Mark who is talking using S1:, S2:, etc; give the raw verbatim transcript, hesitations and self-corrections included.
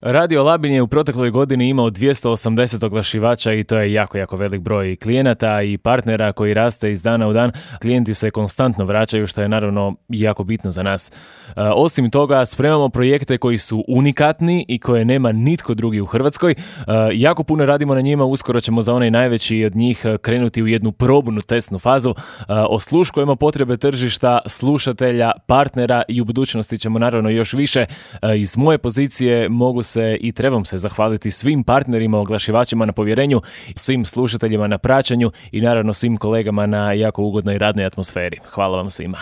S1: Radio Labin je u protekloj godini imao dvjesto osamdeset oglašivača i to je jako, jako velik broj klijenata i partnera koji raste iz dana u dan. Klijenti se konstantno vraćaju, što je naravno jako bitno za nas. E, osim toga, spremamo projekte koji su unikatni i koje nema nitko drugi u Hrvatskoj. E, jako puno radimo na njima, uskoro ćemo za onaj najveći od njih krenuti u jednu probnu testnu fazu. E, osluškujemo potrebe tržišta, slušatelja, partnera i u budućnosti ćemo naravno još više. E, iz moje pozicije mogu se i trebam se zahvaliti svim partnerima, oglašivačima na povjerenju, svim slušateljima na praćenju i naravno svim kolegama na jako ugodnoj radnoj atmosferi. Hvala vam svima.